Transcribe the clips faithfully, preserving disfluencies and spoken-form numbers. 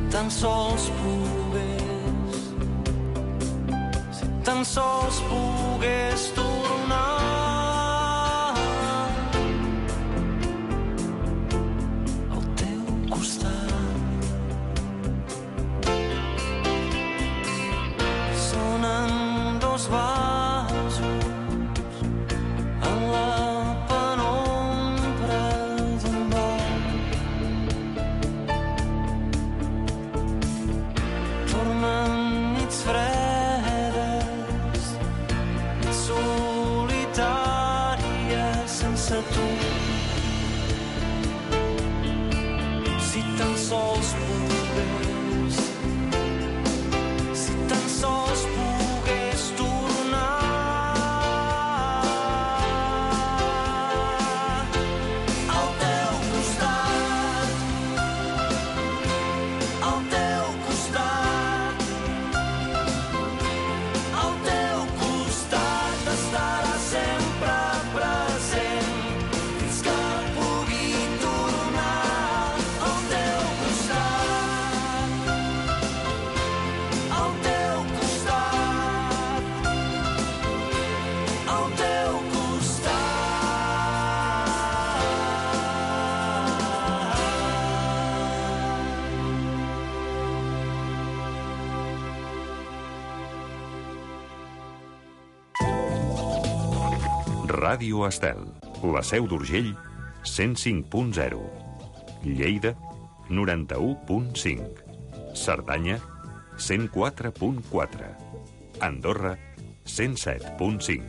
tan sols pogués, si tan sols pogués tornar al teu costat. Sonen dos vasos en la penombra d'un bar. Tornen nits fredes, nits solitàries sense tu. Si tan sols pogués, si tan sols pogués tornar al teu costat, al teu costat, al teu costat estarà sempre present fins que pugui tornar al teu costat, al teu costat, al teu costat. Ràdio Estel, la Seu d'Urgell, cent cinc punt zero. Lleida, noranta-u punt cinc. Cerdanya, cent quatre punt quatre. Andorra, cent set punt cinc.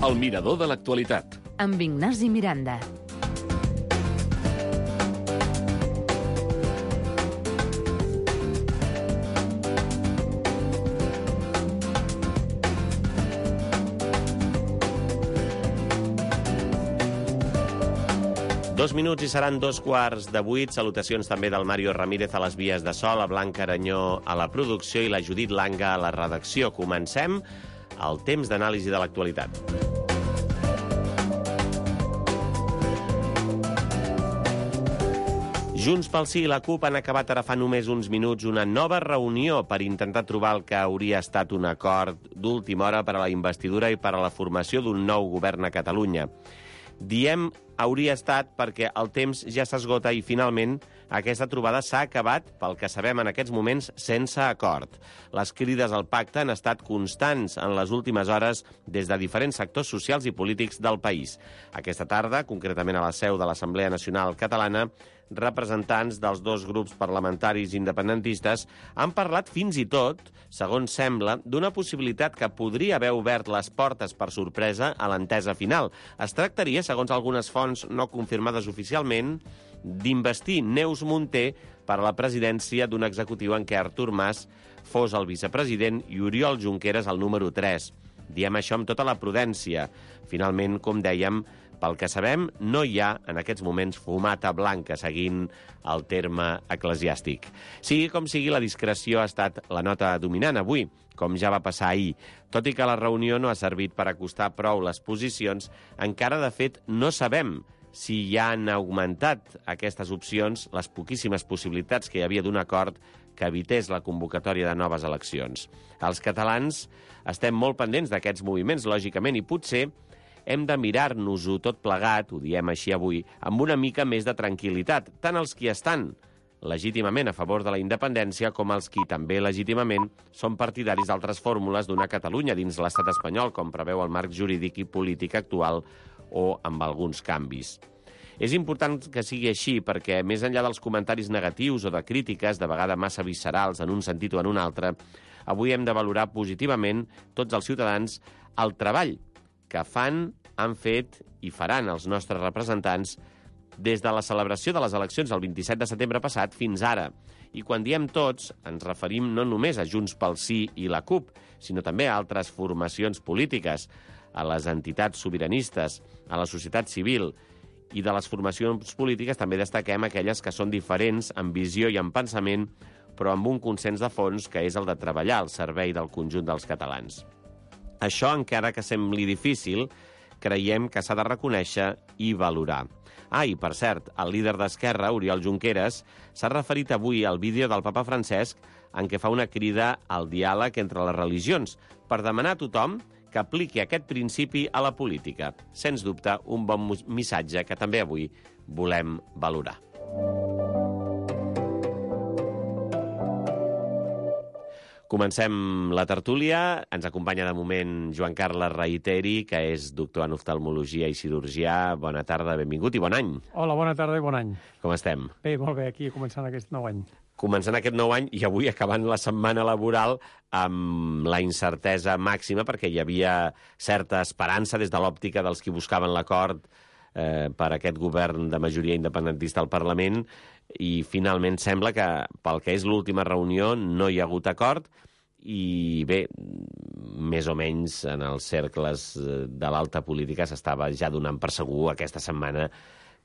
El mirador de l'actualitat. Amb Ignasi Miranda. Dos minuts i seran dos quarts de vuit. Salutacions també del Mario Ramírez a les vies de so, la Blanca Aranyó a la producció i la Judit Langa a la redacció. Comencem el temps d'anàlisi de l'actualitat. Junts pel Sí i la CUP han acabat ara fa només uns minuts una nova reunió per intentar trobar el que hauria estat un acord d'última hora per a la investidura i per a la formació d'un nou govern a Catalunya. Diem hauria estat perquè el temps ja s'esgota i, finalment, aquesta trobada s'ha acabat, pel que sabem en aquests moments, sense acord. Les crides al pacte han estat constants en les últimes hores des de diferents sectors socials i polítics del país. Aquesta tarda, concretament a la seu de l'Assemblea Nacional Catalana, representants dels dos grups parlamentaris independentistes han parlat fins i tot, segons sembla, d'una possibilitat que podria haver obert les portes per sorpresa a l'entesa final. Es tractaria, segons algunes fonts no confirmades oficialment, d'investir Neus Munté per a la presidència d'un executiu en què Artur Mas fos el vicepresident i Oriol Junqueras el número tres. Diem això amb tota la prudència. Finalment, com dèiem, pel que sabem, no hi ha, en aquests moments, fumata blanca, seguint el terme eclesiàstic. Sigui com sigui, la discreció ha estat la nota dominant avui, com ja va passar ahir. Tot i que la reunió no ha servit per acostar prou les posicions, encara, de fet, no sabem si ja han augmentat aquestes opcions les poquíssimes possibilitats que hi havia d'un acord que evités la convocatòria de noves eleccions. Els catalans estem molt pendents d'aquests moviments, lògicament, i potser hem de mirar-nos-ho tot plegat, ho diem així avui, amb una mica més de tranquil·litat, tant els qui estan legítimament a favor de la independència com els qui també legítimament són partidaris d'altres fórmules d'una Catalunya dins l'estat espanyol, com preveu el marc jurídic i polític actual o amb alguns canvis. És important que sigui així perquè, més enllà dels comentaris negatius o de crítiques, de vegades massa viscerals en un sentit o en un altre, avui hem de valorar positivament tots els ciutadans el treball que fan, han fet i faran els nostres representants des de la celebració de les eleccions el vint-i-set de setembre passat fins ara. I quan diem tots, ens referim no només a Junts pel Sí i la CUP, sinó també a altres formacions polítiques. a les entitats sobiranistes, a la societat civil i de les formacions polítiques també destaquem aquelles que són diferents en visió i en pensament, però amb un consens de fons que és el de treballar al servei del conjunt dels catalans. Això, encara que sembli difícil, creiem que s'ha de reconèixer i valorar. Ah, i per cert, el líder d'Esquerra, Oriol Junqueras, s'ha referit avui al vídeo del papa Francesc en què fa una crida al diàleg entre les religions per demanar a tothom que apliqui aquest principi a la política. Sens dubte, un bon missatge que també avui volem valorar. Comencem la tertúlia. Ens acompanya de moment Joan Carles Reiteri, que és doctor en oftalmologia i cirurgià. Bona tarda, benvingut i bon any. Hola, bona tarda i bon any. Com estem? Bé, molt bé, aquí començant aquest nou any. Començant aquest nou any i avui acabant la setmana laboral amb la incertesa màxima perquè hi havia certa esperança des de l'òptica dels qui buscaven l'acord eh, per aquest govern de majoria independentista al Parlament i finalment sembla que pel que és l'última reunió no hi ha hagut acord i bé, més o menys en els cercles de l'alta política s'estava ja donant per segur aquesta setmana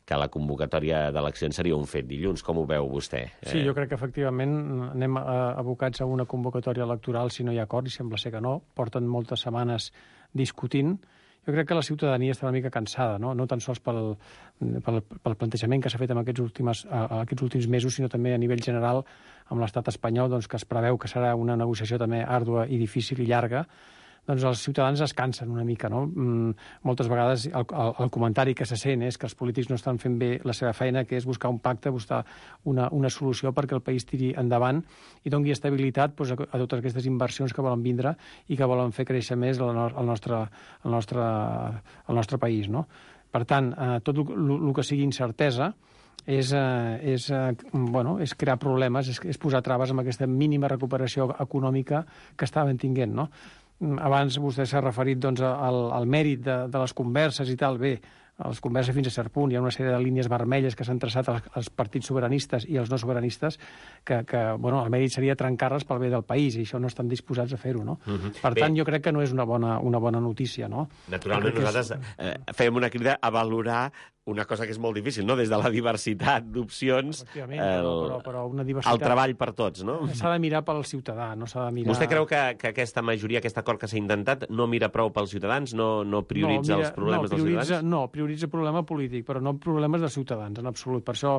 que la convocatòria d'eleccions seria un fet dilluns. Com ho veu vostè? Sí, jo crec que efectivament anem abocats a una convocatòria electoral si no hi ha acord, i sembla ser que no. Porten moltes setmanes discutint. Jo crec que la ciutadania està una mica cansada, no, no tan sols pel, pel, pel plantejament que s'ha fet en aquests últims, aquests últims mesos, sinó també a nivell general amb l'estat espanyol, doncs, que es preveu que serà una negociació també àrdua i difícil i llarga. Doncs els ciutadans es cansen una mica, no? Mm, moltes vegades el, el, el comentari que se sent és que els polítics no estan fent bé la seva feina, que és buscar un pacte, buscar una, una solució perquè el país tiri endavant i doni estabilitat doncs, a, a totes aquestes inversions que volen vindre i que volen fer créixer més el, el, nostre, el, nostre, el nostre país, no? Per tant, eh, tot el que sigui incertesa és, eh, és, eh, bueno, és crear problemes, és, és posar traves amb aquesta mínima recuperació econòmica que estaven tinguent, no? Abans vostè s'ha referit doncs, al, al mèrit de, de les converses i tal. Bé, les converses fins a cert punt. Hi ha una sèrie de línies vermelles que s'han traçat als, als partits sobiranistes i als no sobiranistes que, que bueno, el mèrit seria trencar-les pel bé del país i això no estan disposats a fer-ho, no? Uh-huh. Per bé, tant, jo crec que no és una bona, una bona notícia, no? Naturalment, nosaltres és... eh, fem una crida a valorar una cosa que és molt difícil, no? Des de la diversitat d'opcions, el, però, però una diversitat... el treball per tots, no? S'ha de mirar pel ciutadà, no s'ha de mirar... Vostè creu que, que aquesta majoria, aquest acord que s'ha intentat, no mira prou pels ciutadans, no, no prioritza no, mira, els problemes no, dels ciutadans? No, prioritza problema polític, però no problemes dels ciutadans, en absolut. Per això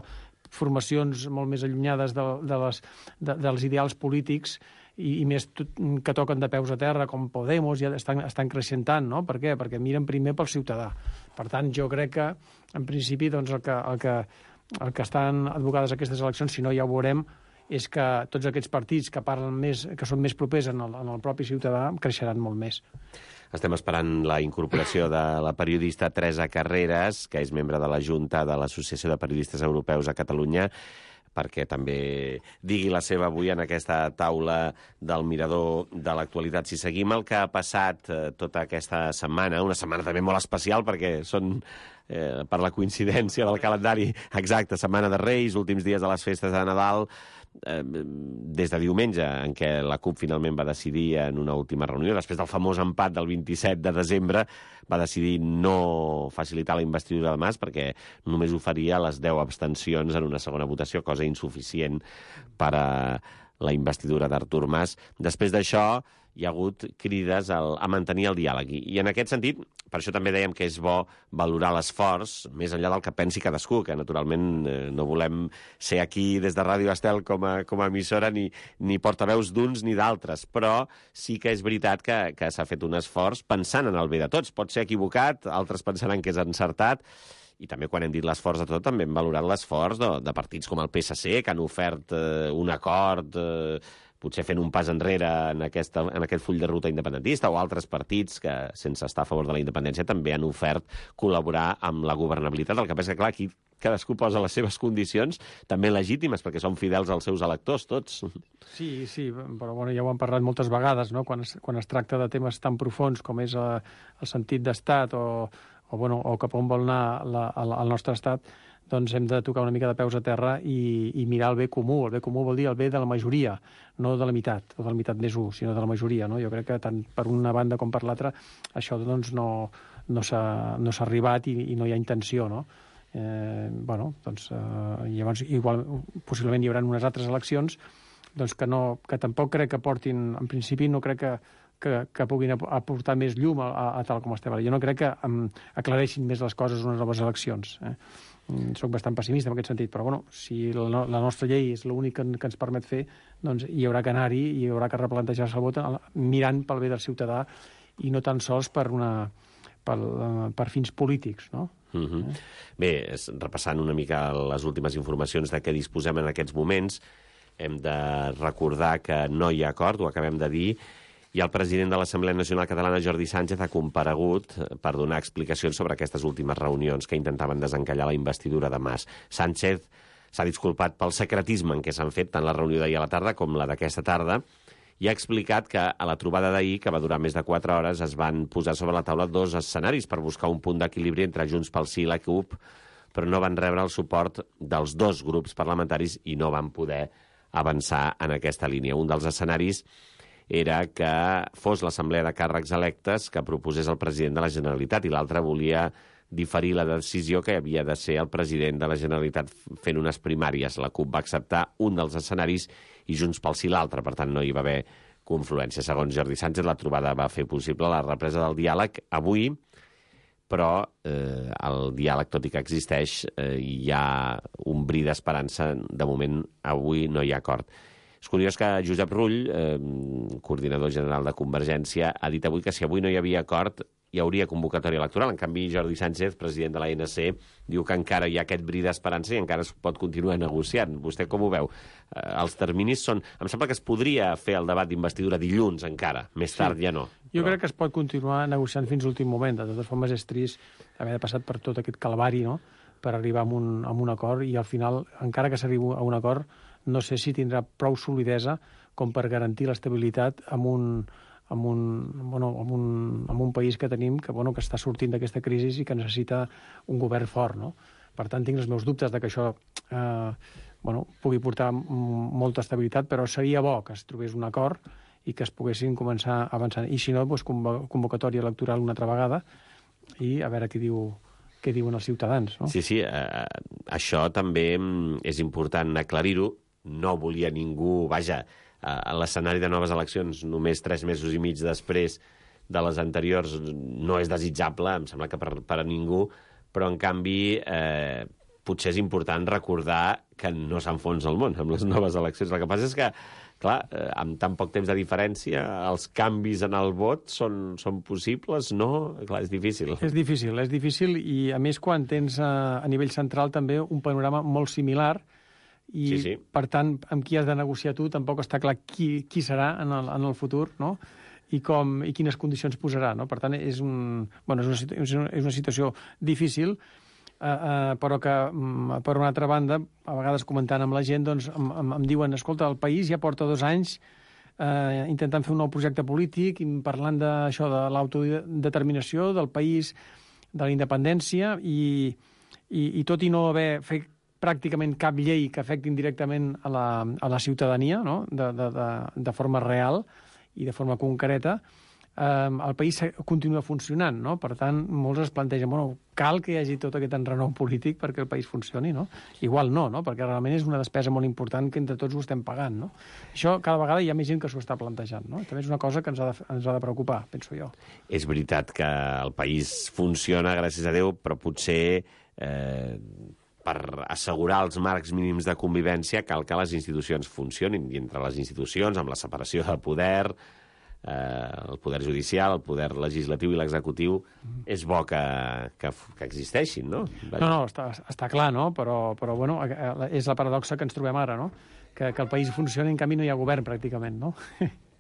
formacions molt més allunyades de, de les, de, dels ideals polítics i, i més tot, que toquen de peus a terra, com Podemos, ja estan, estan creixent tant, no? Per què? Perquè miren primer pel ciutadà. Per tant, jo crec que, en principi, doncs, el, que, el, que, el que estan advocades aquestes eleccions, si no ja ho veurem, és que tots aquests partits que parlen més, que són més propers en el, en el propi ciutadà, creixeran molt més. Estem esperant la incorporació de la periodista Teresa Carreras, que és membre de la Junta de l'Associació de Periodistes Europeus a Catalunya, perquè també digui la seva avui en aquesta taula del mirador de l'actualitat. Si seguim el que ha passat eh, tota aquesta setmana, una setmana també molt especial perquè són, eh, per la coincidència del calendari exacte, setmana de Reis, últims dies de les festes de Nadal, eh, des de diumenge, en què la CUP finalment va decidir en una última reunió, després del famós empat del vint-i-set de desembre, va decidir no facilitar la investidura de Mas perquè només oferia les deu abstencions en una segona votació, cosa insuficient per a la investidura d'Artur Mas. Després d'això hi ha hagut crides al, a mantenir el diàleg. I, I en aquest sentit, per això també dèiem que és bo valorar l'esforç, més enllà del que pensi cadascú, que naturalment eh, no volem ser aquí des de Ràdio Estel com a, com a emissora ni, ni portaveus d'uns ni d'altres, però sí que és veritat que, que s'ha fet un esforç pensant en el bé de tots. Pot ser equivocat, altres pensaran que és encertat, i també quan hem dit l'esforç de tot també hem valorat l'esforç de, de partits com el P S C, que han ofert eh, un acord, eh, potser fent un pas enrere en, aquesta, en aquest full de ruta independentista, o altres partits que, sense estar a favor de la independència, també han ofert col·laborar amb la governabilitat. El que passa que, clar, aquí cadascú posa les seves condicions, també legítimes, perquè són fidels als seus electors, tots. Sí, sí, però bueno, ja ho hem parlat moltes vegades, no? Quan es, quan es tracta de temes tan profuns com és el, el sentit d'estat o, o, bueno, o cap on vol anar la, el, el nostre estat, doncs hem de tocar una mica de peus a terra i, i mirar el bé comú. El bé comú vol dir el bé de la majoria, no de la meitat, o de la meitat més un, sinó de la majoria. No? Jo crec que tant per una banda com per l'altra això doncs, no, no s'ha no s'ha arribat i, i no hi ha intenció, no? Eh, bueno, doncs, eh, llavors, igual, possiblement hi haurà unes altres eleccions doncs que, no, que tampoc crec que portin, en principi no crec que, que, que puguin aportar més llum a, a, a tal com estem ara. Jo no crec que um, aclareixin més les coses unes noves eleccions. Eh? Soc bastant pessimista en aquest sentit, però bueno, si la, no, la nostra llei és l'únic que, que ens permet fer, doncs hi haurà que anar-hi i hi haurà que replantejar-se el vot mirant pel bé del ciutadà i no tan sols per, una, per, per fins polítics, no? Mm-hmm. eh? Bé, repassant una mica les últimes informacions de què disposem en aquests moments, hem de recordar que no hi ha acord, ho acabem de dir, i el president de l'Assemblea Nacional Catalana, Jordi Sánchez, ha comparegut per donar explicacions sobre aquestes últimes reunions que intentaven desencallar la investidura de Mas. Sánchez s'ha disculpat pel secretisme en què s'han fet tant la reunió d'ahir a la tarda com la d'aquesta tarda i ha explicat que a la trobada d'ahir, que va durar més de quatre hores, es van posar sobre la taula dos escenaris per buscar un punt d'equilibri entre Junts pel Sí i la CUP, però no van rebre el suport dels dos grups parlamentaris i no van poder avançar en aquesta línia. Un dels escenaris era que fos l'Assemblea de Càrrecs Electes que proposés el president de la Generalitat i l'altre volia diferir la decisió que havia de ser el president de la Generalitat fent unes primàries. La CUP va acceptar un dels escenaris i Junts pel Sí l'altre, per tant no hi va haver confluència. Segons Jordi Sánchez, la trobada va fer possible la represa del diàleg avui, però eh, el diàleg, tot i que existeix, eh, hi ha un bri d'esperança. De moment, avui no hi ha acord. És curiós que Josep Rull, eh, coordinador general de Convergència, ha dit avui que si avui no hi havia acord hi hauria convocatòria electoral. En canvi, Jordi Sánchez, president de l'A N C, diu que encara hi ha aquest bri d'esperança i encara es pot continuar negociant. Vostè com ho veu? Eh, els terminis són... Em sembla que es podria fer el debat d'investidura dilluns encara, més tard sí. ja no. Jo però... crec que es pot continuar negociant fins l'últim moment. De totes formes, és trist haver passat per tot aquest calvari, no?, per arribar a un, a un acord, i al final, encara que s'arribi a un acord, no sé si tindrà prou solidesa com per garantir l'estabilitat amb un, amb un, bueno, amb un, amb un país que tenim que, bueno, que està sortint d'aquesta crisi i que necessita un govern fort, no? Per tant, tinc els meus dubtes de que això eh, bueno, pugui portar molta estabilitat, però seria bo que es trobés un acord i que es poguessin començar avançant. I si no, doncs, convocatòria electoral una altra vegada i a veure què diu què diuen els ciutadans, no? Sí, sí, eh, això també és important aclarir-ho. No volia ningú... Vaja, a l'escenari de noves eleccions, només tres mesos i mig després de les anteriors, no és desitjable, em sembla que per, per a ningú, però, en canvi, eh, potser és important recordar que no s'enfonsa el món amb les noves eleccions. El que passa és que, clar, eh, amb tan poc temps de diferència, els canvis en el vot són, són possibles, no? Clar, és difícil. És difícil, és difícil, i a més quan tens a, a nivell central també un panorama molt similar, i, sí, sí. per tant, amb qui has de negociar tu tampoc està clar qui, qui serà en el, en el futur, no? I, com, i quines condicions posarà, no? Per tant, és, un, bueno, és, una, és, una, és una situació difícil, eh, eh, però que, per una altra banda, a vegades comentant amb la gent, doncs, em, em, em diuen, escolta, el país ja porta dos anys eh, intentant fer un nou projecte polític, i parlant d'això, de l'autodeterminació del país, de la independència, i, i, i tot i no haver fet pràcticament cap llei que afecti directament a la, a la ciutadania, no?, de, de, de, de forma real i de forma concreta, eh, el país continua funcionant, no? Per tant, molts es plantegen, bueno, cal que hi hagi tot aquest enrenou polític perquè el país funcioni, no? Igual no, no?, perquè realment és una despesa molt important que entre tots ho estem pagant, no? Això cada vegada hi ha més gent que s'ho està plantejant, no? També és una cosa que ens ha de, ens ha de preocupar, penso jo. És veritat que el país funciona, gràcies a Déu, però potser... Eh, per assegurar els marcs mínims de convivència cal que les institucions funcionin, i entre les institucions, amb la separació de poder, eh, el poder judicial, el poder legislatiu i l'executiu, mm. és bo que, que, que existeixin, no? Vaja. No, no, està, està clar, no? Però, però bueno, és la paradoxa que ens trobem ara, no? Que, que el país funciona i en canvi no hi ha govern, pràcticament, no?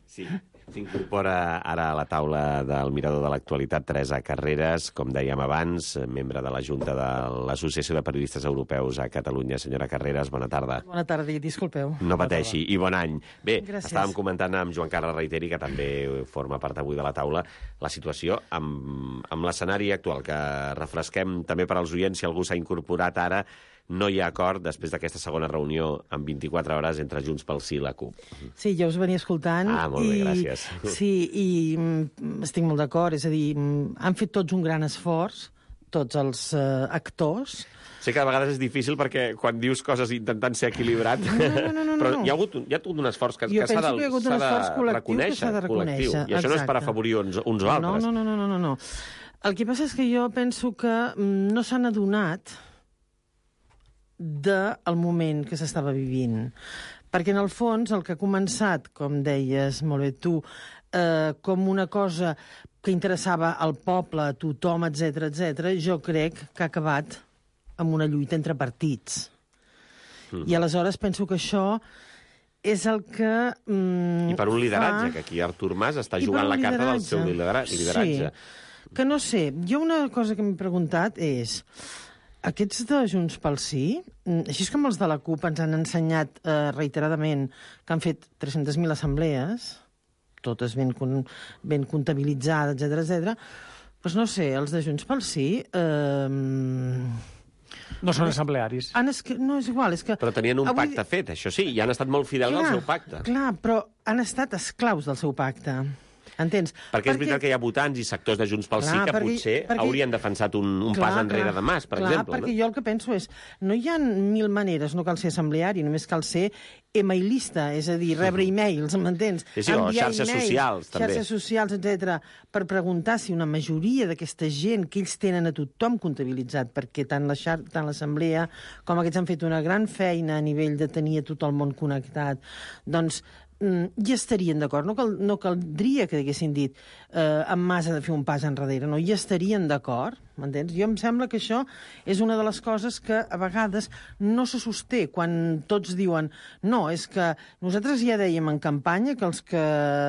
Sí. S'incorpora ara a la taula del Mirador de l'Actualitat Teresa Carreras, com dèiem abans, membre de la Junta de l'Associació de Periodistes Europeus a Catalunya. Senyora Carreras, bona tarda. Bona tarda, i disculpeu. No pateixi, i bon any. Bé, gràcies. Estàvem comentant amb Joan Carles Reiteri, que també forma part avui de la taula, la situació amb, amb l'escenari actual, que refresquem també per als oients, si algú s'ha incorporat ara. no hi ha acord després d'aquesta segona reunió en vint-i-quatre hores entre Junts pel Sí i la CUP. Sí, jo us venia escoltant. Ah, molt bé, i, gràcies. Sí, i mm, estic molt d'acord. És a dir, mm, han fet tots un gran esforç, tots els eh, actors. Sé que a vegades és difícil perquè quan dius coses intentant ser equilibrat... No, no, no, no, però no. hi ha hagut un, hi ha hagut un esforç que, Jo que s'ha de, penso que hi ha hagut un s'ha de esforç col·lectiu que reconèixer. s'ha de reconèixer, Col·lectiu. I això no és per exacte. afavorir uns, uns o altres. No, no, no, no, no, no, no. El que passa és que jo penso que mm, no s'han adonat del moment que s'estava vivint. Perquè, en el fons, el que ha començat, com deies molt bé tu, eh, com una cosa que interessava al poble, a tothom, etcètera, etcètera, jo crec que ha acabat amb una lluita entre partits. Mm. I aleshores penso que això és el que mm, I per un lideratge, fa... que aquí Artur Mas està I per jugant un la carta del lideratge. seu lidera- lideratge. Sí, que no sé, jo una cosa que m'he preguntat és, aquests de Junts pel Sí, mm, així com els de la CUP ens han ensenyat eh, reiteradament que han fet tres-centes mil assemblees, totes ben, con, ben comptabilitzades, etcètera, etcètera, doncs no sé, els de Junts pel Sí... Eh, No són assemblearis. han es... No, és igual, és que... Però tenien un avui- pacte fet, això sí, i han estat molt fidels al seu pacte. Clar, però han estat esclaus del seu pacte. Entens? Perquè és veritat que hi ha votants i sectors de Junts pel Sí Clar, que perquè- potser perquè- haurien defensat un, un Clar, pas enrere clar, de Mas, per clar, exemple. perquè No? jo el que penso és, no hi ha mil maneres, no cal ser assembleari, només cal ser emailista, és a dir, rebre e-mails, m'entens? Sí, sí, o Enviar xarxes e-mails, socials, també. Xarxes socials, etcètera, per preguntar si una majoria d'aquesta gent que ells tenen a tothom comptabilitzat, perquè tant la xar- tant l'assemblea com aquests han fet una gran feina a nivell de tenir a tot el món connectat, doncs mm, hi estarien d'acord. No, cal, no caldria que haguessin dit eh, en Mas ha de fer un pas enrere. No, hi estarien d'acord, m'entens? Jo em sembla que això és una de les coses que a vegades no se sosté quan tots diuen no, és que nosaltres ja dèiem en campanya que els que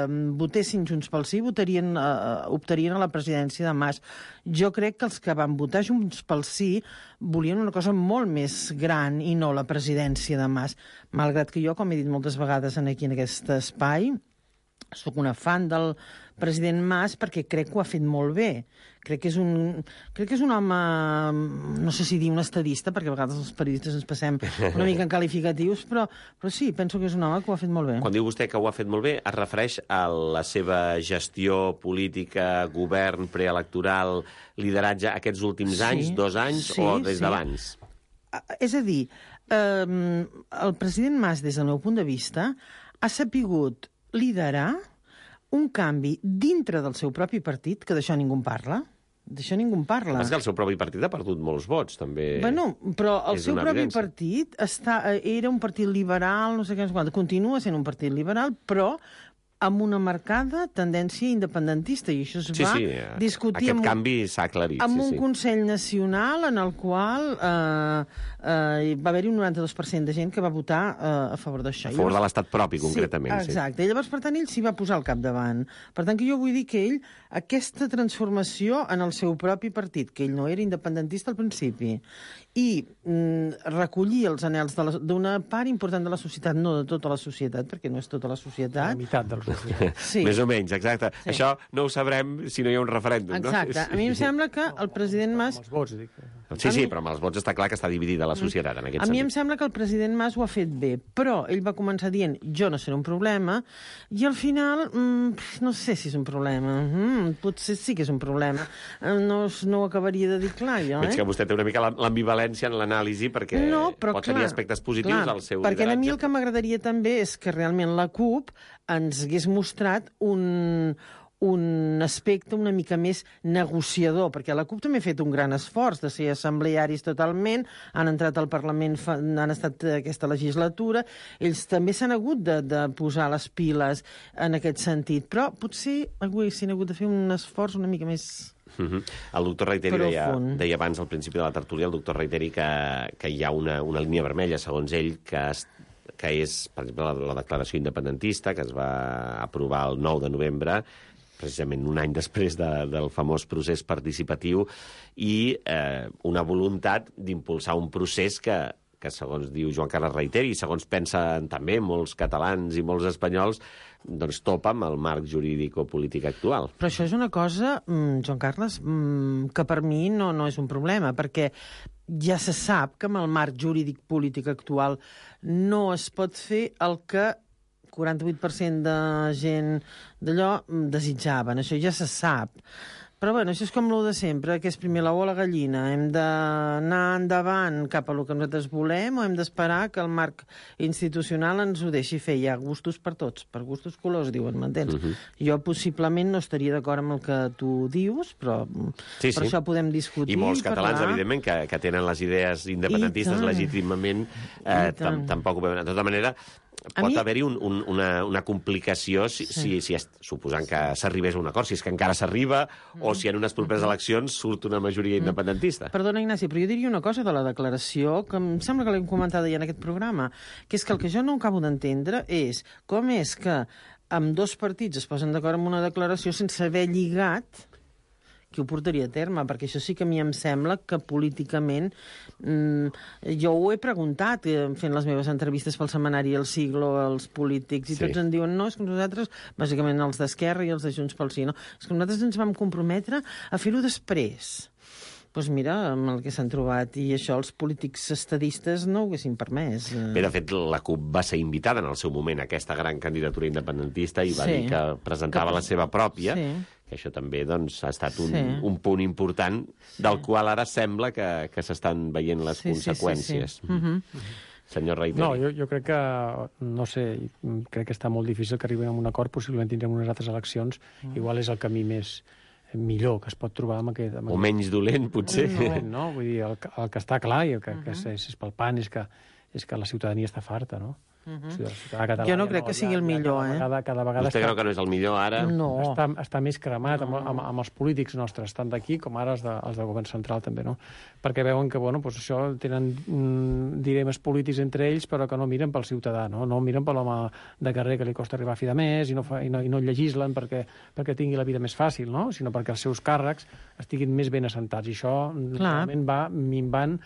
mm, votessin Junts pel Sí votarien, eh, optarien a la presidència de Mas. Jo crec que els que van votar Junts pel Sí volien una cosa molt més gran i no la presidència de Mas. Malgrat que jo, com he dit moltes vegades aquí en aquest espai, sóc una fan del president Mas perquè crec que ho ha fet molt bé. Crec que és un, crec que és un home, no sé si dir un estadista, perquè a vegades els periodistes ens passem una mica en qualificatius, però, però sí, penso que és un home que ho ha fet molt bé. Quan diu vostè que ho ha fet molt bé, es refereix a la seva gestió política, govern, preelectoral, lideratge aquests últims Sí, anys, dos anys, sí, o des sí. d'abans? Ah, És a dir, eh, el president Mas, des del meu punt de vista, ha sapigut liderar un canvi dintre del seu propi partit, que d'això ningú en parla. D'això ningú en parla. És que el seu propi partit ha perdut molts vots, també. Bueno, però el és seu una propi evidència. partit està, eh, era un partit liberal, no sé què, no sé quant, continua sent un partit liberal, però amb una marcada tendència independentista, i això es Sí, va sí, eh, discutir aquest amb, un- canvi s'ha aclarit. amb sí, un sí. Consell Nacional en el qual eh, eh, va haver-hi un noranta-dos per cent de gent que va votar eh, a favor d'això. A favor de Llavors- l'estat propi, concretament. Sí, exacte. I llavors, per tant, ell s'hi va posar al capdavant. Per tant, que jo vull dir que ell, aquesta transformació en el seu propi partit, que ell no era independentista al principi, i mm, recollir els anels de la- d'una part important de la societat, no de tota la societat, perquè no és tota la La societat. meitat dels societats. Sí. Més o menys, exacte. Sí. Això no ho sabrem si no hi ha un referèndum, Exacte. no? A mi em sembla que el president Mas... Amb els vots, dic. Sí, A sí, mi- però amb els vots està clar que està dividida la societat, en aquest A mi em sentit. sembla que el president Mas ho ha fet bé, però ell va començar dient jo no seré un problema, i al final mm, no sé si és un problema. Mm, potser sí que és un problema. Eh, No, no ho acabaria de dir clar, jo, Veig eh? que vostè té una mica la- l'ambivalència en l'anàlisi perquè No, però pot clar, tenir aspectes positius clar, al seu perquè a mi lideratge. el que m'agradaria també és que realment la CUP ens hagués mostrat un, un aspecte una mica més negociador, perquè la CUP també ha fet un gran esforç de ser assemblearis totalment, han entrat al Parlament, fa, han estat aquesta legislatura, ells també s'han hagut de, de posar les piles en aquest sentit, però potser haguessin hagut de fer un esforç una mica més... Mhm. El doctor Reiteri deia, Profund. deia abans, al principi de la tertúlia, el doctor Reiteri, que, que hi ha una, una línia vermella, segons ell, que, es, que és, per exemple, la, la declaració independentista, que es va aprovar el nou de novembre, precisament un any després de, del famós procés participatiu, i eh, una voluntat d'impulsar un procés que que segons diu Joan Carles reiteri, i segons pensen també molts catalans i molts espanyols, doncs topa amb el marc jurídico-polític actual. Però això és una cosa, Joan Carles, que per mi no, no és un problema, perquè ja se sap que amb el marc jurídic-polític actual no es pot fer el que quaranta-vuit per cent de gent d'allò desitjaven. Això ja se sap. Però bueno, això és com el de sempre, que és primer l'ou o la gallina. Hem d'anar endavant cap a el que nosaltres volem o hem d'esperar que el marc institucional ens ho deixi fer. Hi ha gustos per tots, per gustos colors, diuen, m'entens? Uh -huh. Jo possiblement no estaria d'acord amb el que tu dius, però sí, per sí. això podem discutir. I molts catalans, parlar. evidentment, que, que tenen les idees independentistes legítimament, eh, tampoc ho veuen. De tota manera, pot mi... haver-hi un, un, una, una complicació si, sí. si, si suposant que s'arribés a un acord, si és que encara s'arriba, mm. o si en unes properes eleccions surt una majoria independentista. Mm. Perdona, Ignasi, però jo diria una cosa de la declaració, que em sembla que l'hem comentat ja en aquest programa, que és que el que jo no acabo d'entendre és com és que amb dos partits es posen d'acord amb una declaració sense haver lligat qui ho portaria a terme, perquè això sí que a mi em sembla que políticament mmm, jo ho he preguntat fent les meves entrevistes pel setmanari El Siglo als polítics i sí. Tots em diuen no, és que nosaltres, bàsicament els d'Esquerra i els de Junts pel Sí, no? És que nosaltres ens vam comprometre a fer-ho després. Doncs pues mira, amb el que s'han trobat, i això els polítics estadistes no ho haguessin permès. Bé, de fet, la CUP va ser invitada en el seu moment a aquesta gran candidatura independentista i va sí. dir que presentava que... la seva pròpia, sí. que això també doncs, ha estat un, sí. un punt important del sí. qual ara sembla que, que s'estan veient les sí, conseqüències. Sí, sí, sí. Mm-hmm. Senyor Reiteri. No, jo, jo crec que, no sé, crec que està molt difícil que arribem a un acord, possiblement tindrem unes altres eleccions, mm. igual és el camí més millor que es pot trobar amb aquest... Amb o menys dolent, potser. No, no, vull dir, el, el que està clar i el que, uh -huh. que és, és palpant és que, és que la ciutadania està farta, no? Uh -huh. o sigui, catalana, jo no crec no, que sigui ja, el millor, cada eh? Vegada, cada vegada Vostè està, creu que no és el millor ara? No. Està, està més cremat amb, amb, amb els polítics nostres, tant d'aquí com ara els, de, els del govern central també, no? Perquè veuen que, bueno, doncs això tenen mm, dilemes polítics entre ells, però que no miren pel ciutadà, no? No miren per l'home de carrer que li costa arribar a fi de mes i no, fa, i no, i no legislen perquè, perquè tingui la vida més fàcil, no? Sinó perquè els seus càrrecs estiguin més ben assentats. I això Clar. realment va minvant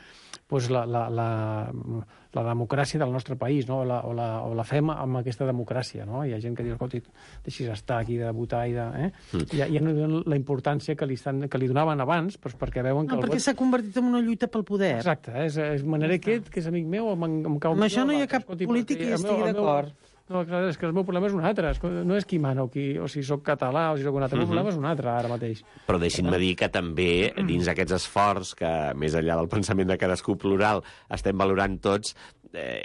doncs, la, la, la, la democràcia del nostre país, no? o, la, o, la, o la fem amb aquesta democràcia. No? Hi ha gent que diu, escolta, deixis estar aquí de votar i de... Eh? Mm. Ja, ja no donen la importància que li, estan, que li donaven abans, doncs perquè veuen que... No, el perquè vot... s'ha convertit en una lluita pel poder. Exacte, és, és manera aquest, que és amic meu, em, em cau... Amb això no hi ha cap escolti, polític que hi estigui d'acord. No, clar, és que el meu problema és un altre. No és qui mana o, qui, o si sóc català o si sóc un altre. El meu problema és un altre, ara mateix. Però deixin-me dir que també, dins d'aquests esforços, que més enllà del pensament de cadascú plural estem valorant tots, eh,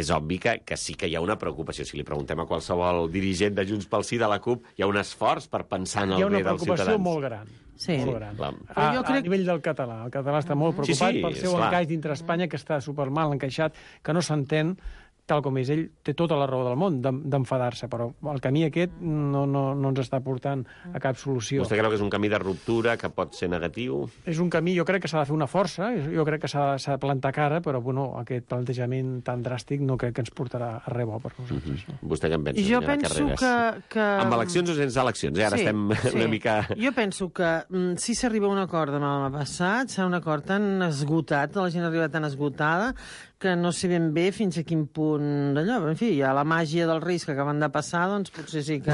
és obvi que, que sí que hi ha una preocupació. Si li preguntem a qualsevol dirigent de Junts pel Sí, de la CUP, hi ha un esforç per pensar en el bé dels ciutadans. Hi ha una preocupació molt gran. Sí. Molt gran. Clar. A, a, crec... a nivell del català. El català està molt preocupat sí, sí, pel seu encaix dintre Espanya, que està supermal encaixat, que no s'entén tal com és. Ell té tota la raó del món d'enfadar-se, però el camí aquest no, no, no ens està portant a cap solució. Vostè creu que és un camí de ruptura, que pot ser negatiu? És un camí, jo crec que s'ha de fer una força, jo crec que s'ha de plantar cara, però bueno, aquest plantejament tan dràstic no crec que ens portarà a res bo per nosaltres. Mm-hmm. Vostè què en pensa, jo penso que, que... Amb eleccions o sense eleccions? Eh? Ara sí, estem sí. una mica... Jo penso que mm, si s'arriba a un acord demà passat, serà un acord tan esgotat, la gent arriba tan esgotada, que no sé ben bé fins a quin punt d'allò. En fi, hi ha la màgia dels Reis que acaben de passar, doncs potser sí que,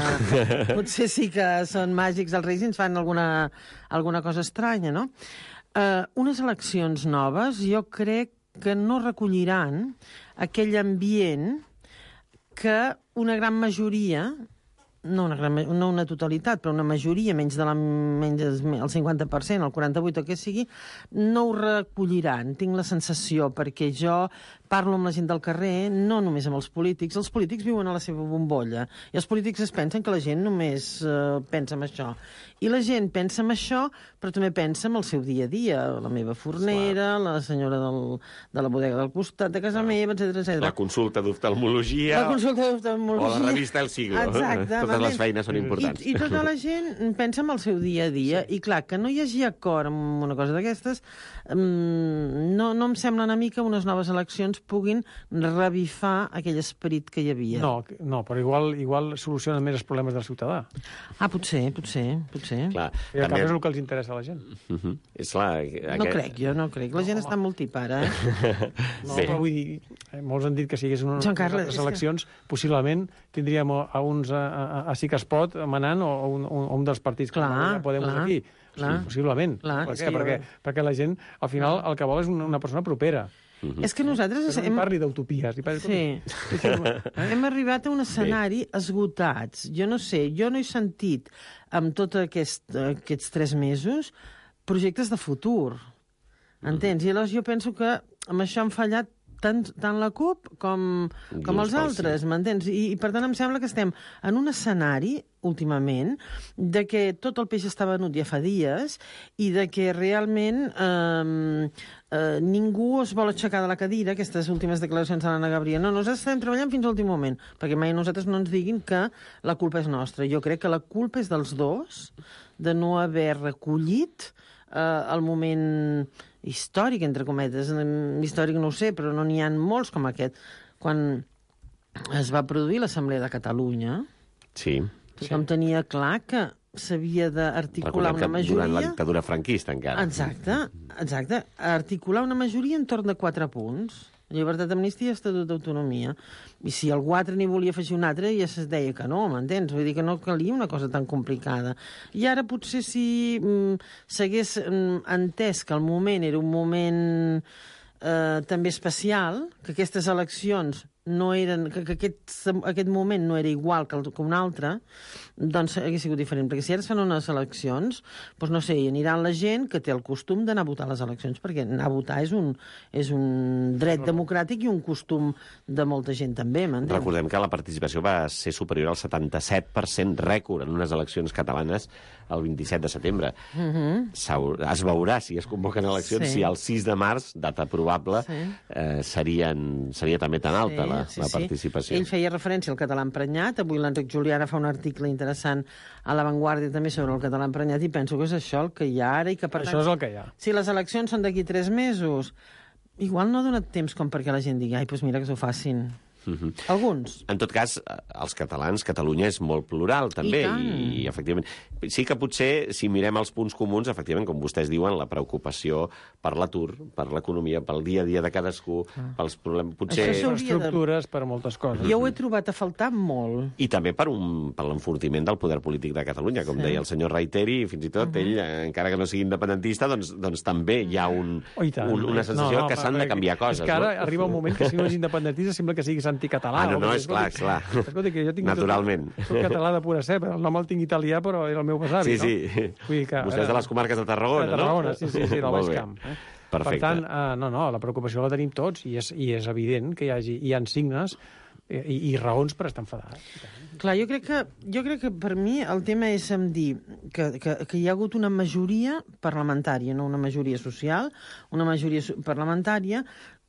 potser sí que són màgics els Reis i ens fan alguna, alguna cosa estranya, no? Uh, unes eleccions noves jo crec que no recolliran aquell ambient que una gran majoria, no una, gran, no una totalitat, però una majoria, menys de la, menys el cinquanta per cent, el quaranta-vuit per cent o què sigui, no ho recolliran, tinc la sensació, perquè jo parlo amb la gent del carrer, no només amb els polítics. Els polítics viuen a la seva bombolla i els polítics es pensen que la gent només uh, pensa en això. I la gent pensa en això, però també pensa en el seu dia a dia. La meva fornera, Clar. la senyora del, de la bodega del costat de casa Clar. meva, etcètera, etcètera. La consulta d'oftalmologia. La consulta d'oftalmologia. O la revista El Siglo. Exacte. Totes les feines són importants. I, I tota la gent pensa en el seu dia a dia. Sí. I clar, que no hi hagi acord amb una cosa d'aquestes, um, no, no em semblen a mi que unes noves eleccions eleccions puguin revifar aquell esperit que hi havia. No, no, però igual, igual solucionen més els problemes del ciutadà. Ah, potser, potser, potser. Clar, I al cap és el que els interessa a la gent. Uh -huh. És clar, No aquest... crec, jo no crec. La gent està molt tipara, eh? No, Bé. però vull dir, eh, molts han dit que si hi hagués una, Joan Carles, unes és que- eleccions, possiblement tindríem a, a uns a, a, a Sí que es pot manant o, o un, un, un dels partits Clar, com ja Podem clar, aquí. clar. Sí, possiblement. Clar, per és què? que jo- Perquè, perquè la gent, al final, el que vol és una, una persona propera. És que nosaltres... Que no hem- li parli d'utopies. li parli- Sí. Hem arribat a un escenari esgotats. Jo no sé, jo no he sentit amb tots aquest, aquests tres mesos projectes de futur. Entens? I llavors jo penso que amb això han fallat tant, tant la CUP com, com Junts els pel altres, m'entens? I, I per tant em sembla que estem en un escenari últimament, de que tot el peix està venut ja fa dies i de que realment eh, eh, ningú es vol aixecar de la cadira, aquestes últimes declaracions de l'Anna Gabriel. No, nosaltres estem treballant fins a l'últim moment, perquè mai nosaltres no ens diguin que la culpa és nostra. Jo crec que la culpa és dels dos, de no haver recollit eh, el moment històric, entre cometes. Històric no ho sé, però no n'hi ha molts com aquest. Quan es va produir l'Assemblea de Catalunya, Sí. tothom tenia clar que s'havia d'articular Recordem una que majoria... durant la dictadura franquista, encara. Exacte, exacte. Articular una majoria entorn de quatre punts. Llibertat, amnistia i estatut d'autonomia. I si algú altre n'hi volia afegir un altre, ja es deia que no, m'entens? Vull dir que no calia una cosa tan complicada. I ara potser si mm, s'hagués mm, entès que el moment era un moment eh, també especial, que aquestes eleccions no eren, que, que aquest, aquest moment no era igual que, el, que un altre, doncs hauria sigut diferent. Perquè si ara es fan unes eleccions, doncs no sé, hi aniran la gent que té el costum d'anar a votar a les eleccions, perquè anar a votar és un, és un dret democràtic i un costum de molta gent també, m'entens? Recordem que la participació va ser superior al setanta-set per cent rècord en unes eleccions catalanes el vint-i-set de setembre. Uh -huh. Es veurà si es convoquen eleccions, Sí. si el sis de març, data probable, Sí. eh, serien, seria també tan alta la, la participació. Ell feia referència al català emprenyat. Avui l'Enric Juliana fa un article interessant a La Vanguardia també sobre el català emprenyat i penso que és això el que hi ha ara i que per Això tant, és el que hi ha. si les eleccions són d'aquí tres mesos, igual no ha donat temps com perquè la gent digui ai, doncs mira que s'ho facin. Uh -huh. Alguns. En tot cas, els catalans, Catalunya és molt plural, també, I tant. i, i efectivament... Sí que potser, si mirem els punts comuns, efectivament, com vostès diuen, la preocupació per l'atur, per l'economia, pel dia a dia de cadascú, Ah. pels problemes... Potser... Això Per s'hauria de- estructures, per moltes coses. Jo ho he trobat a faltar molt. I també per, un, per l'enfortiment del poder polític de Catalunya, com Sí. deia el senyor Reiteri, i fins i tot uh -huh. ell, eh, encara que no sigui independentista, doncs, doncs també hi ha un, Oh, i tant. un, una sensació No, no, que s'han perquè de canviar coses. És que ara no? arriba un moment que si no és independentista sembla que siguis anticatalà. Ah, no, no, o- és clar, escolti, clar. Escolta, que jo tinc Naturalment. Tot, soc català de pura cepa. El nom el tinc italià, però era el meu besavi, Sí, sí. no? Vull dir que, Vostè és de les comarques de Tarragona, de Tarragona, no? sí, sí, sí, del Molt Baix bé. Camp. Eh? Perfecte. Per tant, uh, no, no, la preocupació la tenim tots i és, i és evident que hi, hagi, hi ha signes i, i raons per estar enfadats. Clar, jo crec que, jo crec que per mi el tema és em dir que, que, que hi ha hagut una majoria parlamentària, no una majoria social, una majoria su- parlamentària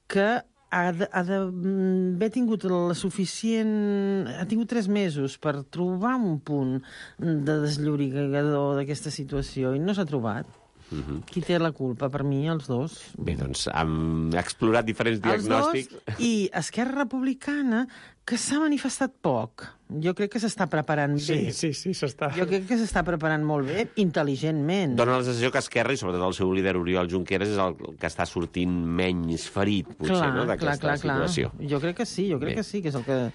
que ha de- ha d'haver tingut la suficient... ha tingut tres mesos per trobar un punt de desllorigador d'aquesta situació i no s'ha trobat. Uh -huh. Qui té la culpa? Per mi, els dos. Bé, doncs hem explorat diferents Els dos diagnòstics. i Esquerra Republicana, que s'ha manifestat poc. Jo crec que s'està preparant bé. Sí, sí, sí, s'està... Jo crec que s'està preparant molt bé, intel·ligentment. Dóna la sensació que Esquerra, i sobretot el seu líder Oriol Junqueras, és el que està sortint menys ferit, potser, clar, no?, clar, d'aquesta clar, clar. situació. Jo crec que sí, jo crec Bé. que sí, que és el que...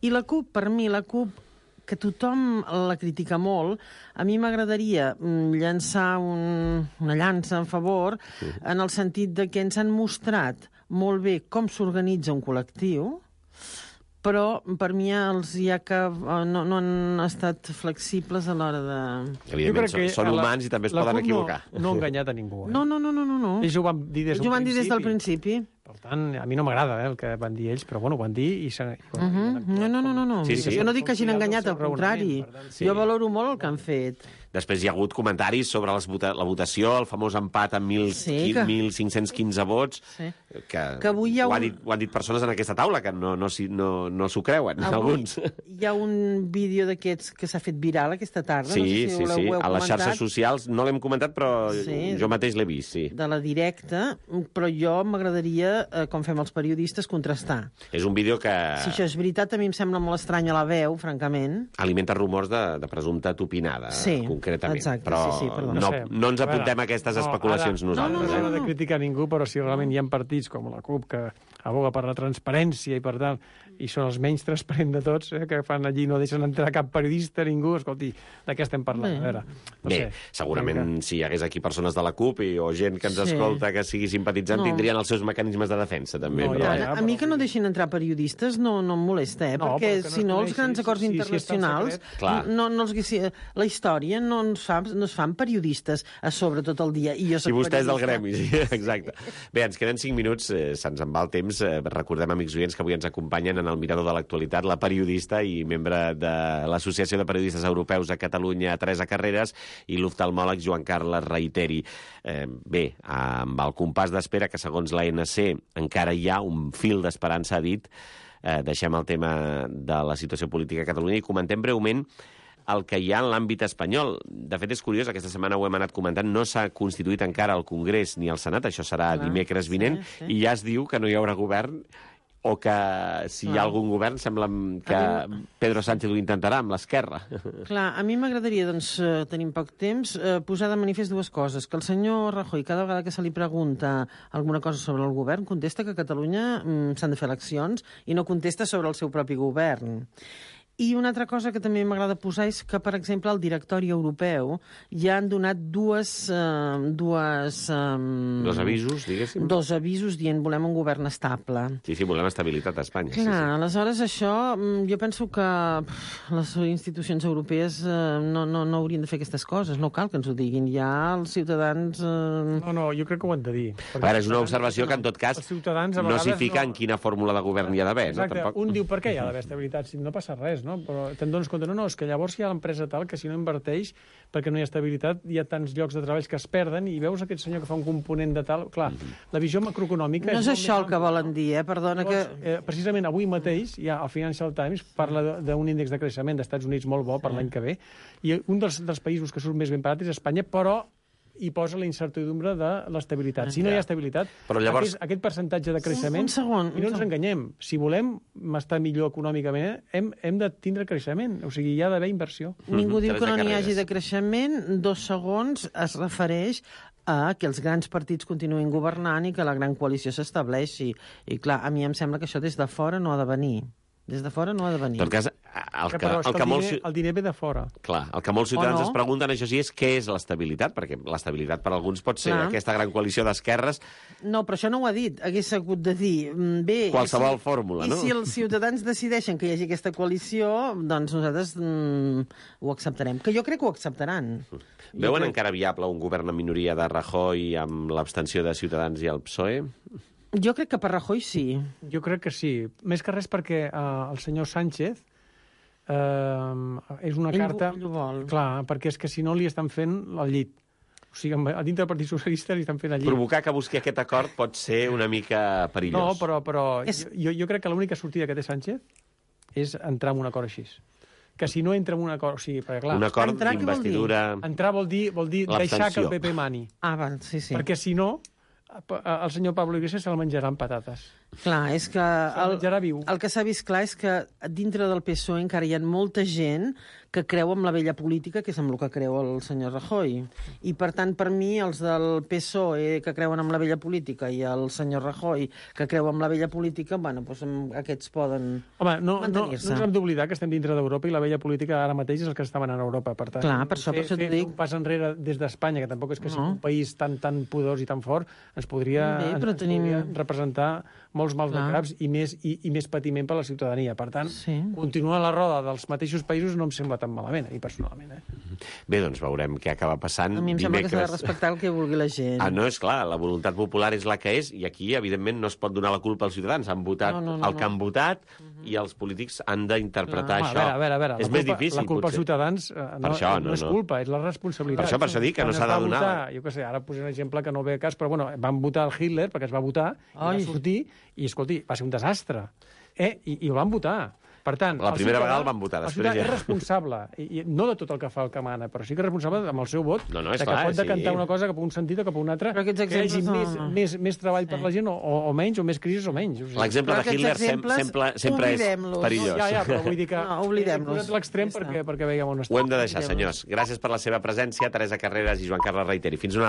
I la CUP, per mi, la CUP, que tothom la critica molt, a mi m'agradaria mm, llançar un, una llança en favor, en el sentit de que ens han mostrat molt bé com s'organitza un col·lectiu, però per mi els hi ha que eh, no, no han estat flexibles a l'hora de... Evidentment, són, són la- humans i també es la poden CUP equivocar. No, no ha enganyat a ningú. Eh? No, no, no, no, no. no. Ells ho van dir des Ells del ho van dir des del principi. principi. Per tant, a mi no m'agrada eh, el que van dir ells, però bueno, ho van dir i... s'han- i Uh -huh. No, no, no, no. no. Sí, sí. Jo no dic que hagin Com enganyat, el al seu contrari. raonament, per tant, sí. Jo valoro molt el que han fet. Després hi ha hagut comentaris sobre les vota la votació, el famós empat amb mil, Sí, que- mil cinc-cents quinze vots, Sí. que, Que avui hi ha ho, ha un- dit, ho han dit persones en aquesta taula, que no, no, s'hi- no, no s'ho creuen, Avui alguns. Hi ha un vídeo d'aquests que s'ha fet viral aquesta tarda. Sí, no sé si sí, ho, sí. ho heu A les comentat, xarxes socials no l'hem comentat, però Sí. jo mateix l'he vist, sí. de la directa, però jo m'agradaria eh, com fem els periodistes, contrastar. És un vídeo que Si això és veritat, a mi em sembla molt estranya la veu, francament. alimenta rumors de, de presumpta topinada, Sí, concretament. exacte, però sí, sí, perdó. no, sé. no ens A veure, apuntem a aquestes especulacions no, ara, nosaltres. No, no, no, eh? no de criticar ningú, però si realment hi ha partits com la CUP que aboga per la transparència i per tant, i són els menys transparents de tots, eh, que fan allí, no deixen entrar cap periodista, ningú, escolti, de què estem parlant? Bé. A veure, no Bé, sé, segurament vinga. si hi hagués aquí persones de la CUP i, o gent que ens Sí. escolta que sigui simpatitzant, No. tindrien els seus mecanismes de defensa, també. No, però... ja, A, ja, a mi però- que no deixin entrar periodistes no, no em molesta, eh? No, perquè però que no si es no, els coneixi, grans acords si- si- si internacionals és tan secret. Clar. no, no els haguessi... La història no, ens fa, no es fan periodistes a sobre tot el dia. I jo soc I vostè és del periodista. gremi, sí, exacte. Bé, ens queden cinc minuts, eh, se'ns en va el temps. Eh, recordem, amics oients, que avui ens acompanyen en el Mirador de l'Actualitat la periodista i membre de l'Associació de Periodistes Europeus a Catalunya, Teresa Carreras, i l'oftalmòleg Joan Carles Reiteri. Eh, bé, amb el compàs d'espera, que segons l'A N C encara hi ha un fil d'esperança, ha dit, eh, deixem el tema de la situació política a Catalunya i comentem breument el que hi ha en l'àmbit espanyol. De fet, és curiós, aquesta setmana ho hem anat comentant, no s'ha constituït encara el Congrés ni el Senat, això serà Clar, dimecres vinent, sí, sí. i ja es diu que no hi haurà govern, o que si hi ha Clar. algun govern sembla que A Pedro Sánchez ho intentarà amb l'esquerra. Clar, a mi m'agradaria, doncs, eh, tenim poc temps, eh, posar de manifest dues coses. Que el senyor Rajoy, cada vegada que se li pregunta alguna cosa sobre el govern, contesta que a Catalunya mm, s'han de fer eleccions i no contesta sobre el seu propi govern. I una altra cosa que també m'agrada posar és que, per exemple, al directori europeu ja han donat dues... Eh, dues um, Dos avisos, diguéssim. Dos avisos dient volem un govern estable. Sí, sí, volem estabilitat a Espanya. Clar, Sí, sí. aleshores això, mm, jo penso que pff, les institucions europees eh, no, no, no haurien de fer aquestes coses, no cal que ens ho diguin, ja els ciutadans... Eh... No, no, jo crec que ho han de dir. A veure, és una observació que, en tot cas, Els ciutadans, a no s'hi vegades, fica no- en quina fórmula de govern hi ha d'haver, no? Exacte, Tampoc... un diu per què hi ha d'haver estabilitat, si no passa res, no? Però te'n dones compte, no, no, és que llavors hi ha l'empresa tal que si no inverteix, perquè no hi ha estabilitat, hi ha tants llocs de treball que es perden i veus aquest senyor que fa un component de tal... Clar, la visió macroeconòmica... No és molt això més el que àmplia, volen dir, eh? Perdona que... Llavors, eh, precisament avui mateix, ja el Financial Times parla de- d'un índex de creixement dels Estats Units molt bo per l'any que ve, i un dels, dels països que surt més ben parat és Espanya, però hi posa la incertidumbre de l'estabilitat. Si no hi ha estabilitat, Però llavors- aquest, aquest percentatge de creixement... Un segon, I no un ens segon. enganyem. Si volem estar millor econòmicament, hem, hem de tindre creixement. O sigui, hi ha d'haver inversió. Ningú Mhm, diu que Teresa no n'hi Carreras. hagi de creixement. Dos segons es refereix a que els grans partits continuïn governant i que la gran coalició s'estableixi. I clar, a mi em sembla que això des de fora no ha de venir. Des de fora no ha de venir. En tot cas, el que, Però és el que que el, molts... diner, el diner ve de fora. Clar, el que molts ciutadans no? es pregunten, això sí, és què és l'estabilitat, perquè l'estabilitat per alguns pot ser Clar. aquesta gran coalició d'esquerres. No, però això no ho ha dit. Hagués hagut de dir, mm, bé... i Qualsevol si, fórmula, no? I si els ciutadans decideixen que hi hagi aquesta coalició, doncs nosaltres mm, ho acceptarem. Que jo crec que ho acceptaran. Veuen crec- encara viable un govern en minoria de Rajoy amb l'abstenció de Ciutadans i el P S O E? Jo crec que per Rajoy sí. Jo crec que sí. Més que res perquè eh, el senyor Sánchez eh, és una Ell ho- carta... ell ho vol. Clar, perquè és que si no li estan fent el llit. O sigui, a dintre del Partit Socialista li estan fent el llit. Provocar que busqui aquest acord pot ser una mica No, perillós. però, però És- jo, jo crec que l'única sortida que té Sánchez és entrar en un acord així. Que si no entra en un acord... O sigui, perquè clar, Un acord Entrar, què vol dir? d'investidura... entrar vol dir, vol dir deixar que el L'abstenció. P P mani. Ah, val, sí, sí. Perquè si no, el senyor Pablo Iglesias se la menjarà amb patates. Clar, és que... Se'l El, menjarà viu. el que s'ha vist clar és que dintre del P S O E encara hi ha molta gent que creu en la vella política, que és amb el que creu el senyor Rajoy. I, per tant, per mi, els del P S O E que creuen en la vella política i el senyor Rajoy que creu en la vella política, bueno, doncs amb aquests poden Home, no, no, no mantenir-se. ens hem d'oblidar que estem dintre d'Europa i la vella política ara mateix és el que està manant a Europa. Per tant, Clar, per això- per fer, això t'ho fer dic. un pas enrere des d'Espanya, que tampoc és que sigui No. un país tan tan poderós i tan fort, ens podria, Bé, però ens tenim- podria representar molts mals Clar. de caps i més, i, i més patiment per a la ciutadania. Per tant, Sí. continuar la roda dels mateixos països no em sembla tan malament, a mi personalment. Eh? Bé, doncs veurem què acaba passant A mi em sembla que s'ha de dimecres. respectar el que vulgui la gent. Ah, no, és clar, la voluntat popular és la que és i aquí, evidentment, no es pot donar la culpa als ciutadans. Han votat No, no, no, el que no. han votat i els polítics han d'interpretar Home, això. a veure, a veure, a veure, és la més culpa, difícil, la culpa als potser. ciutadans eh, no, Per això, no, no és no. culpa, és la responsabilitat. Per això, per això dic que Quan no es s'ha de va donar Votar, la- jo què sé, ara posaré un exemple que no ve a cas, però bueno, van votar el Hitler perquè es va votar, i Ai. va sortir, i escolti, va ser un desastre. Eh? I, I ho van votar. Per tant, La el primera ciutadà- vegada el van votar, el després ciutadà ja. és responsable, i, i no de tot el que fa el que mana, però sí que és responsable amb el seu vot, No, no, és de que clar, pot decantar sí. una cosa cap a un sentit o cap a un altre, Però aquests que hi hagi exemples més, no- més, més treball per Sí. la gent, o, o menys, o més crisis o menys. O sigui, L'exemple Però de aquests Hitler sem exemples, sempre, sempre és oblidem-los. perillós. ja, ja, però vull dir que No, oblidem-los. he posat l'extrem Ja està. perquè, perquè veiem on estem. Ho hem de deixar, Oblidem-los. senyors. Gràcies per la seva presència, Teresa Carreras i Joan Carles Reiteri. Fins una